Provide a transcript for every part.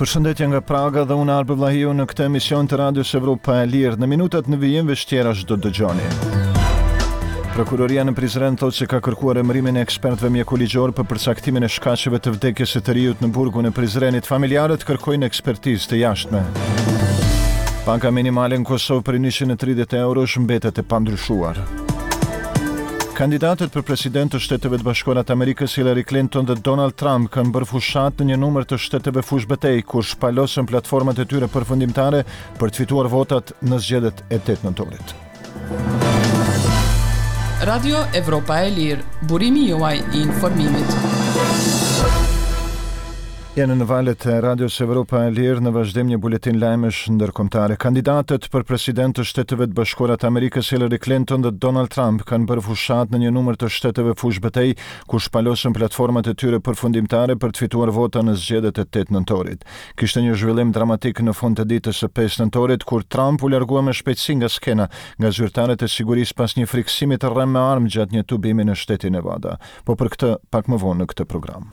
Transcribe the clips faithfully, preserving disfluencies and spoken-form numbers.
Përshëndetje nga Praga dhe unë, Arbër Vllahiu, në këtë emision të Radios Evropa e Lirë. Në minutat në vijim veç tjerash do dëgjoni: Prokuroria në Prizren thotë se ka kërkuar emërimin e ekspertëve mjekoligjor për përcaktimin e shkaqeve të vdekjes së të riut në burgun e Prizrenit. Familjarët kërkojnë ekspertizë të jashtme. Paga minimale në Kosovë prej njëqind e tridhjetë euro mbetet e pandryshuar. Kandidatët për president të Shteteve të Bashkuara të Amerikës, Hillary Clinton dhe Donald Trump, kanë bërë fushatë në një numër të shteteve fushbetej, ku shpalosën platformat e tyre përfundimtare për të fituar votat në zgjedhjet e tetë nëntorit. Radio Evropa e Lirë, burimi juaj i informimit. Jeni në valët e Radios Evropa e Lirë, në vazhdim një buletin lajmesh ndërkombëtare. Kandidatët për president të Shteteve të Bashkuara të Amerikës, Hillary Clinton dhe Donald Trump, kanë bërë fushatë në një numër të shteteve fushbetej, ku shpalosën platformat e tyre përfundimtare për të fituar vota në zgjedhjet e tetë nëntorit. Kishte një zhvillim dramatik në fund të ditës së pesë nëntorit, kur Trump u largua me shpejtësi nga skena nga zyrtarët e sigurisë pas një frikësimi të rremë me armë gjatë një tubimi në shtetin Nevada. Po për këtë pak më vonë në këtë program.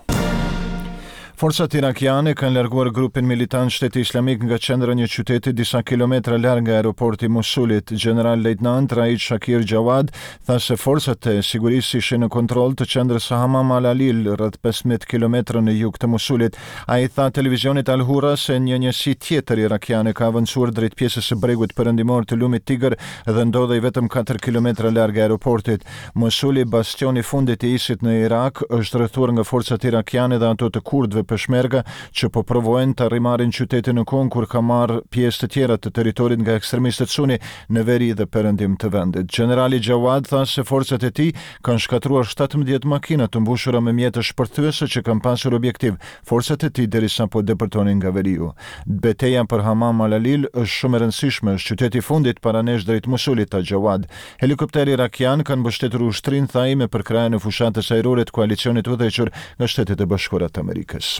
Forcat irakiane kanë larguar grupin militant Shteti Islamik nga qendra një qyteti disa kilometra larg nga aeroporti Mosulit. General Leitnant Raid Shakir Jawad tha se forcat e sigurisë ishin në kontroll të qendrës së Hamam al-Alil, rreth pesëmbëdhjetë kilometra në jug të Mosulit. Ai tha televizionit Al-Hura se një njësi tjetër irakiane ka avancuar drejt pjesës së bregut perëndimor të lumit Tigër dhe ndodhej vetëm katër kilometra larg aeroportit. Mosuli, bastioni fundit i ISIS-it në Irak, është rrethuar nga forcat irakiane dhe ato të kurdëve peshmerga, që po provojnë të rimarrin qytetin në kohën kur ka marrë pjesë të tjera të territorit nga ekstremistët suni në veri dhe perëndim të vendit. Generali Jawad tha se forcat e tij kanë shkatërruar shtatëmbëdhjetë makina të mbushura me mjete shpërthyese që kanë pasur objektiv forcat e tij derisa po depërtonin nga veriu. "Beteja për Hamam al-Alil është shumë e rëndësishme, është qyteti i fundit para nesh drejt Mosulit", tha Jawad. Helikopteri irakian kanë mbështetur ushtrinë, tha ai, me përkrahjen e fushatës ajrore të koalicionit udhëhequr nga Shtetet e Bashkuara të Amerikës.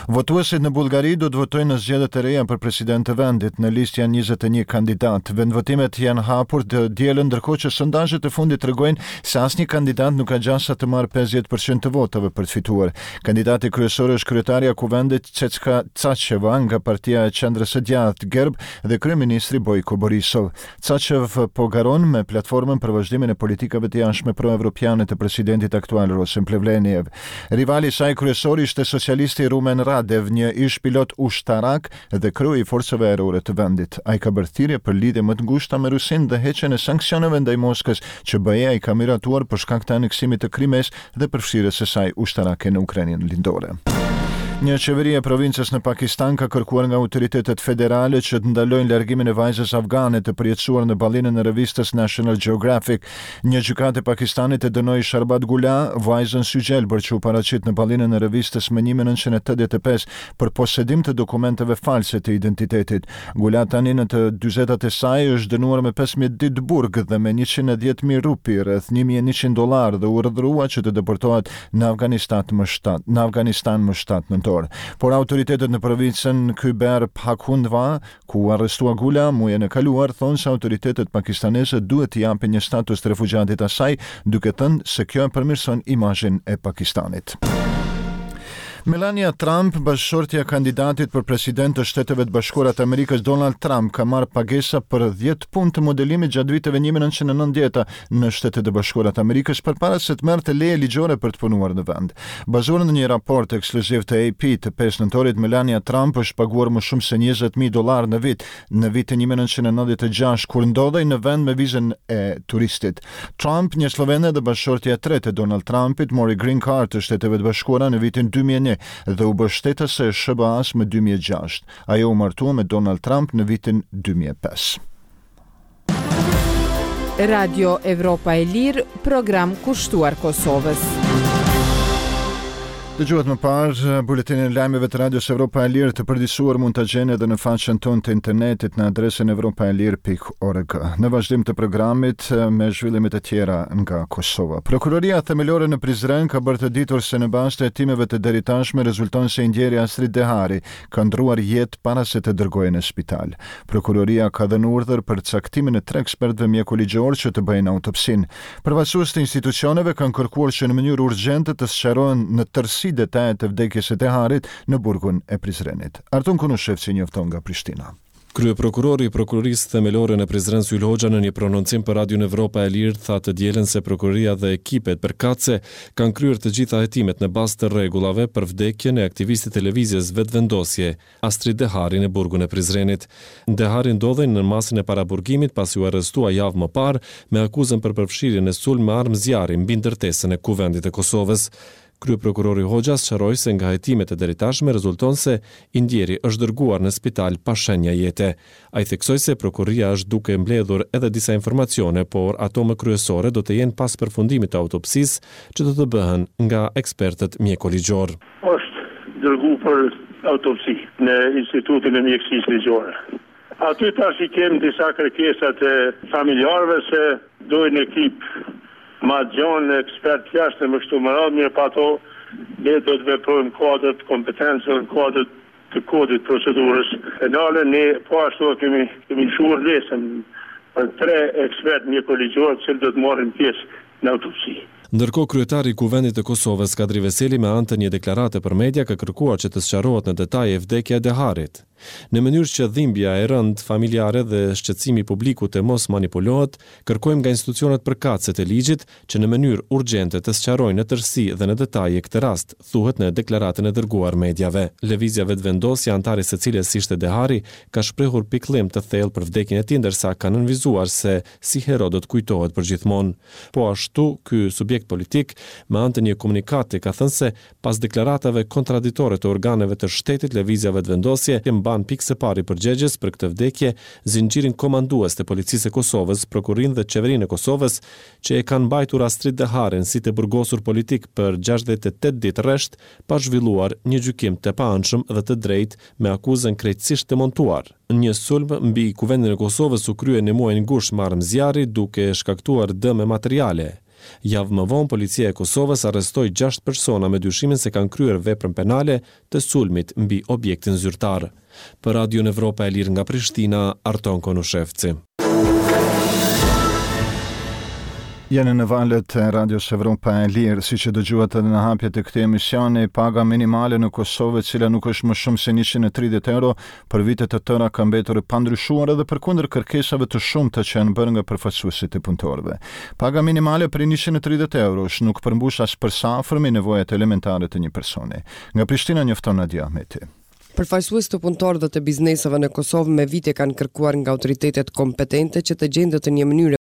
Votuesit në Bullgari do të votojnë në zgjedhjet e reja për president të vendit. Në listë janë njëzet e një kandidat. Vendvotimet janë hapur të dielën, ndërkohë që sondazhet e fundit tregojnë se asnjë kandidat nuk ka gjasa të marrë pesëdhjetë për qind të votave për të fituar. Kandidati kryesor është kryetarja e kuvendit, Tsetska Tsacheva, nga partia e qendrës së djathtë GERB, dhe kryeministri Bojko Borisov. Tsachev po garon me platformën për vazhdimin e politikave të jashtme pro-evropiane të presidentit aktual, Rosen Plevleniev. Rivali i saj kryesor ishte socialisti Rumen Radev, një ish pilot ushtarak dhe kreu i forcave ajrore të vendit. Ai ka bërë thirrje për lidhje më të ngushta me Rusinë dhe heqjen e sanksioneve ndaj Moskës, që B E-ja i ka miratuar për shkak të aneksimit të Krimesë dhe përfshirjes së saj ushtarake në Ukrainën lindore. Një qeveri e provincës në Pakistan ka kërkuar nga autoritetet federale që të ndalojnë largimin e vajzës afgane të përjetësuar në ballinën e revistës National Geographic. Një gjykatë e Pakistanit e dënoi Sharbat Gula, vajzën sygjelbër që u paraqit në ballinën e revistës më një mijë e nëntëqind e tetëdhjetë e pesë, për posedim të dokumenteve false të identitetit. Gula, tani në të dyzetat e saj, është dënuar me pesëmbëdhjetë ditë burg dhe me njëqind e dhjetë mijë rupi, rreth një mijë e njëqind dollar, dhe u urdhërua që të deportohet në Afganistan më shtatë, në Afganistan më shtatë nëntor. Por autoritetet në provincën Khyber Pakhtunkhwa, ku u arrestua Gula muajin e kaluar, thonë se autoritetet pakistaneze duhet t'i japin një status të refugjatit asaj, duke thënë se kjo e përmirëson imazhin e Pakistanit. Melania Trump, bashkëshortja e kandidatit për president të Shteteve të Bashkuara të Amerikës, Donald Trump, ka marrë pagesa për dhjetë punë të modelimit gjatë viteve një mijë e nëntëqind e nëntëdhjeta në Shtetet e Bashkuara të Amerikës përpara se të merrte leje ligjore për të punuar në vend. Bazuar në një raport ekskluziv të A P të pesë nëntorit, Melania Trump është paguar më shumë se njëzet mijë dollar në vit në vitin një mijë e nëntëqind e nëntëdhjetë e gjashtë, kur ndodhej në vend me vizën e turistit. Trump, një slovene dhe bashkëshortja e tretë e Donald Trumpit, mori green card të Shteteve të Bashkuara në vitin dy mijë e një dhe u bë shtetase e S H B A-s më dy mijë e gjashtë. Ajo u martua me Donald Trump në vitin dy mijë e pesë. Radio Evropa e Lirë, program kushtuar Kosovës. Dëgjuat më parë buletinin e lajmeve të Radios Evropa e Lirë. Të përditësuar mund ta gjeni edhe në faqen tonë të internetit në adresën evropaelir pikë org. Në vazhdim të programit me zhvillimet e tjera nga Kosova. Prokuroria Themelore në Prizren ka bërë të ditur se në bazë të hetimeve të deritashme rezulton se i ndjeri Astrit Dehari ka ndruar jetë para se të dërgohej në spital. Prokuroria ka dhënë urdhër për caktimin e tre ekspertëve mjekoligjor që të bëjnë autopsinë. Përfaqësues të institucioneve kanë kërkuar që në mënyrë urgjente të sqarohen në tërësi saktësi detajet e vdekjes së Deharit në burgun e Prizrenit. Arton Konushevci njofton nga Prishtina. Kryeprokurori i Prokurorisë Themelore në Prizren, Sylë Hoxha, në një prononcim për Radion Evropa e Lirë tha të dielën se prokuroria dhe ekipet përkatëse kanë kryer të gjitha hetimet në bazë të rregullave për vdekjen e aktivistit të lëvizjes Vetëvendosje, Astrit Dehari, në burgun e Prizrenit. Dehari ndodhej në masën e paraburgimit pasi u arrestua javë më parë me akuzën për përfshirjen e sulm me armë zjarri mbi ndërtesën e Kuvendit të Kosovës. Kryeprokurori Hoxha sqaroi se nga hetimet e deritashme rezulton se i ndjeri është dërguar në spital pa shenja jete. Ai theksoi se prokuroria është duke mbledhur edhe disa informacione, por ato më kryesore do të jenë pas përfundimit të autopsisë që do të bëhen nga ekspertët mjekoligjor. Është dërgu për autopsi në Institutin e Mjekësisë Ligjore. Aty tash i kem disa kërkesa të familjarëve se dojnë ekip ma gjonë, ekspert jashtë e më kështu më radhë, mirë pa ato ne do të veprojmë kuadër të kompetencës, në kuadër të kodit procedurës penale. Ne po ashtu kemi, kemi lëshuar urdhëresën për tre ekspert mjekoligjorë të cilët do të marrin pjesë në autopsi. Ndërkohë, kryetari i Kuvendit të Kosovës, Kadri Veseli, me anë të një deklarate për media ka kërkuar që të sqarohet në detaje vdekja e Deharit. Në mënyrë që dhimbja e rëndë familjare dhe shqetësimi i publikut të mos manipulohet, kërkojmë nga institucionet përkatëse të ligjit që në mënyrë urgjente të sqarojnë në tërësi dhe në detaje këtë rast, thuhet në deklaratën e dërguar mediave. Lëvizja Vetëvendosje, anëtari së cilës ishte Dehari, ka shprehur pikëllim të thellë për vdekjen e tij, ndërsa ka nënvizuar se si hero do të kujtohet përgjithmonë. Po ashtu, ky subjekt politik, me anë të një komunikate, ka thënë se pas deklaratave kontradiktore të organeve të shtetit, Lëvizja Vetëvendosje mban pikë së pari përgjegjës për këtë vdekje zinxhirin komandues të Policisë së Kosovës, Prokurorinë dhe Qeverinë e Kosovës, që e kanë mbajtur Astrit Deharin si të burgosur politik për gjashtëdhjetë e tetë ditë rresht, pa zhvilluar një gjykim të paanshëm dhe të drejtë me akuzën krejtësisht të montuar. Një sulm mbi Kuvendin e Kosovës u krye në muajin gusht me armë zjarri, duke shkaktuar dëme materiale. Javë më vonë, Policia e Kosovës arrestoi gjashtë persona me dyshimin se kanë kryer veprën penale të sulmit mbi objektin zyrtar. Për Radion Evropa e Lirë nga Prishtina, Arton Konushevci. Jeni në valët e Radios Evropa e Lirë. Siç e dëgjuat edhe në hapje të këtij emisioni, paga minimale në Kosovë, e cila nuk është më shumë se njëqind e tridhjetë euro, për vite të tëra ka mbetur e pandryshuar edhe përkundër kërkesave të shumta që janë bërë nga përfaqësuesit e punëtorëve. Paga minimale prej njëqind e tridhjetë eurosh nuk përmbush as për së afërmi nevojat elementare të një personi. Nga Prishtina njofton Nadia Ahmeti. Përfaqësues të punëtorëve dhe të bizneseve në Kosovë me vite kanë kërkuar nga autoritetet kompetente që të gjendet në një mënyrë